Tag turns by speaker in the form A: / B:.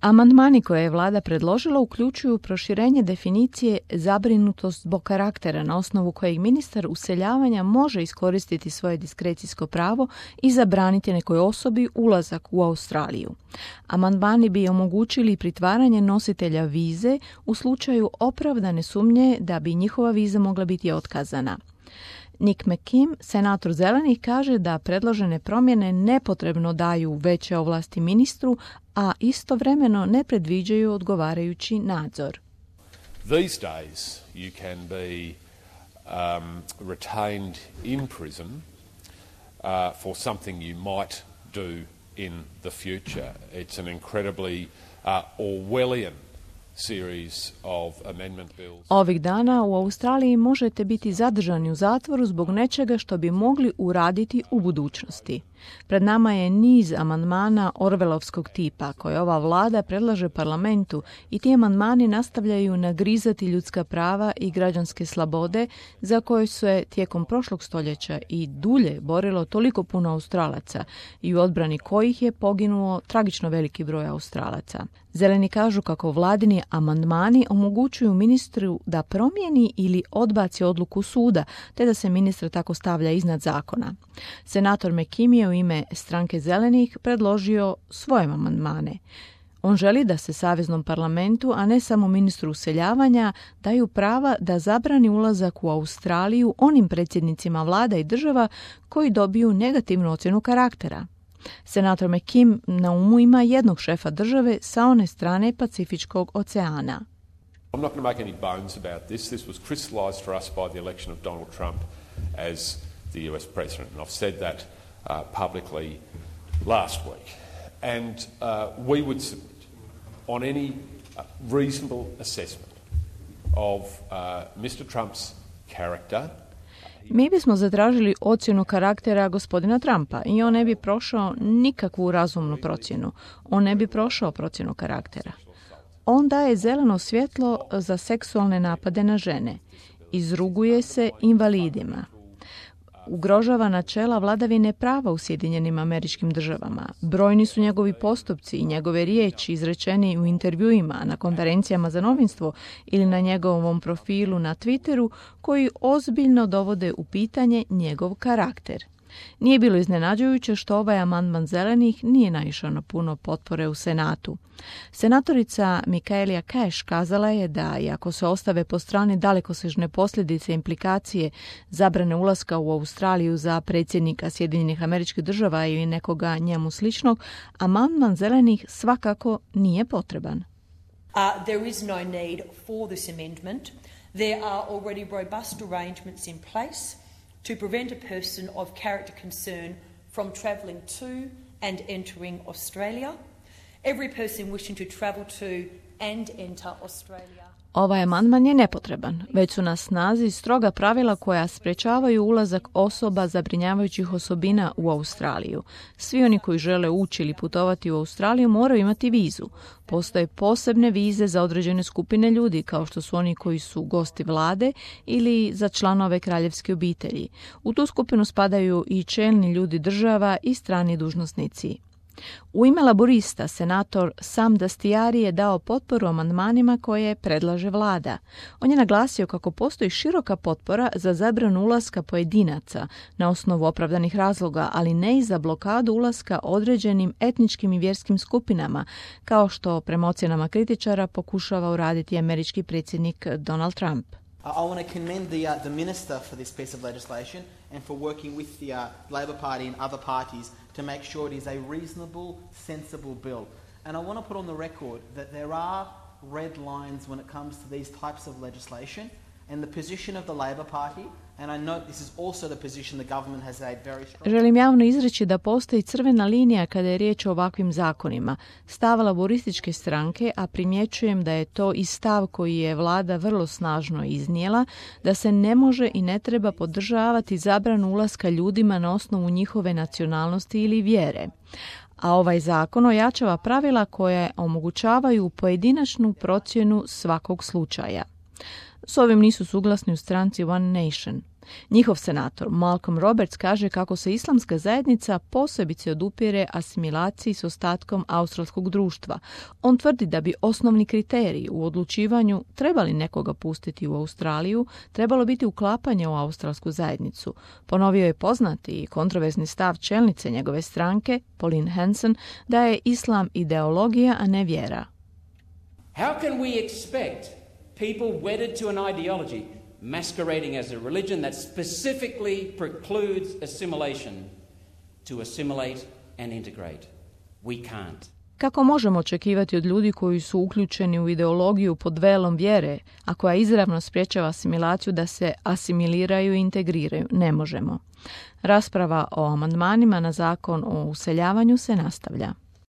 A: Amandmani koje je vlada predložila uključuju proširenje definicije zabrinutost zbog karaktera na osnovu kojeg ministar useljavanja može iskoristiti svoje diskrecijsko pravo i zabraniti nekoj osobi ulazak u Australiju. Amandmani bi omogućili pritvaranje nositelja vize u slučaju opravdane sumnje da bi njihova viza mogla biti otkazana. Nick McKim, senator Zelenih, kaže da predložene promjene nepotrebno daju veće ovlasti ministru, a istovremeno ne predviđaju odgovarajući nadzor.
B: These days you can be retained in prison for something you might do in the future. It's an incredibly Orwellian series of amendment bills.
A: Ovih dana u Australiji možete biti zadržani u zatvoru zbog nečega što bi mogli uraditi u budućnosti. Pred nama je niz amandmana Orwellovskog tipa koje ova vlada predlaže parlamentu i ti amandmani nastavljaju nagrizati ljudska prava i građanske slobode za koje se tijekom prošlog stoljeća i dulje borilo toliko puno Australaca i u odbrani kojih je poginuo tragično veliki broj Australaca. Zeleni kažu kako vladini amandmani omogućuju ministru da promijeni ili odbaci odluku suda, te da se ministar tako stavlja iznad zakona. Senator McKim je u ime stranke Zelenih predložio svoje amandmane. On želi da se Saveznom parlamentu, a ne samo ministru useljavanja, daju prava da zabrani ulazak u Australiju onim predsjednicima vlada i država koji dobiju negativnu ocjenu karaktera. Senator McKim na umu ima jednog šefa države sa one strane Pacifičkog oceana.
B: I'm not going to make any bones about this. This was crystallized for us by the election of Donald Trump as the US president. And I've said that publicly last week. And we would submit on any reasonable assessment of Mr. Trump's character.
A: Mi bismo zatražili ocjenu karaktera gospodina Trumpa i on ne bi prošao nikakvu razumnu procjenu. On ne bi prošao procjenu karaktera. On daje zeleno svjetlo za seksualne napade na žene. Izruguje se invalidima. Ugrožava načela vladavine prava u Sjedinjenim Američkim Državama. Brojni su njegovi postupci i njegove riječi izrečeni u intervjuima, na konferencijama za novinstvo ili na njegovom profilu na Twitteru koji ozbiljno dovode u pitanje njegov karakter. Nije bilo iznenađujuće što ovaj amandman Zelenih nije naišao na puno potpore u Senatu. Senatorica Michaelia Cash kazala je da, iako se ostave po strani dalekosežne posljedice i implikacije zabrane ulaska u Australiju za predsjednika Sjedinjenih Američkih Država ili nekoga njemu sličnog, amandman Zelenih svakako nije potreban.
C: There is no need for this amendment. There are already robust arrangements in place to prevent a person of character concern from travelling to and entering Australia. Every person wishing to travel to and enter Australia.
A: Ovaj amandman je nepotreban. Već su na snazi stroga pravila koja sprečavaju ulazak osoba zabrinjavajućih osobina u Australiju. Svi oni koji žele ući ili putovati u Australiju moraju imati vizu. Postoje posebne vize za određene skupine ljudi, kao što su oni koji su gosti vlade ili za članove kraljevske obitelji. U tu skupinu spadaju i čelni ljudi država i strani dužnosnici. U ime laborista, senator Sam Dastyari je dao potporu amandmanima koje predlaže vlada. On je naglasio kako postoji široka potpora za zabranu ulaska pojedinaca na osnovu opravdanih razloga, ali ne i za blokadu ulaska određenim etničkim i vjerskim skupinama, kao što prema ocjenama kritičara pokušava uraditi američki predsjednik Donald Trump.
D: I want to commend the minister for this piece of legislation and for working with the Labor Party and other parties to make sure it is a reasonable, sensible bill. And I want to put on the record that there are red lines when it comes to these types of legislation, and the position of the Labor Party, and I note this is also the position the government has made very strong.
A: Želim javno izreći da postoji crvena linija kada je riječ o ovakvim zakonima. Stav laborističke stranke, a primjećujem da je to i stav koji je vlada vrlo snažno iznijela, da se ne može i ne treba podržavati zabranu ulaska ljudima na osnovu njihove nacionalnosti ili vjere. A ovaj zakon ojačava pravila koje omogućavaju pojedinačnu procjenu svakog slučaja. S ovim nisu suglasni u stranci One Nation. Njihov senator Malcolm Roberts kaže kako se islamska zajednica posebice odupire asimilaciji s ostatkom australskog društva. On tvrdi da bi osnovni kriteriji u odlučivanju trebali nekoga pustiti u Australiju, trebalo biti uklapanje u australsku zajednicu. Ponovio je poznati i kontroverzni stav čelnice njegove stranke, Pauline Hanson, da je islam ideologija, a ne vjera.
E: How can we expect people wedded to an ideology masquerading as a religion that specifically precludes assimilation to assimilate and integrate? We can't.
A: Kako možemo očekivati od ljudi koji su uključeni u ideologiju pod velom vjere, a koja izravno sprječava asimilaciju da se asimiliraju i integriraju? Ne možemo. Rasprava o amandmanima na zakon o useljavanju se nastavlja.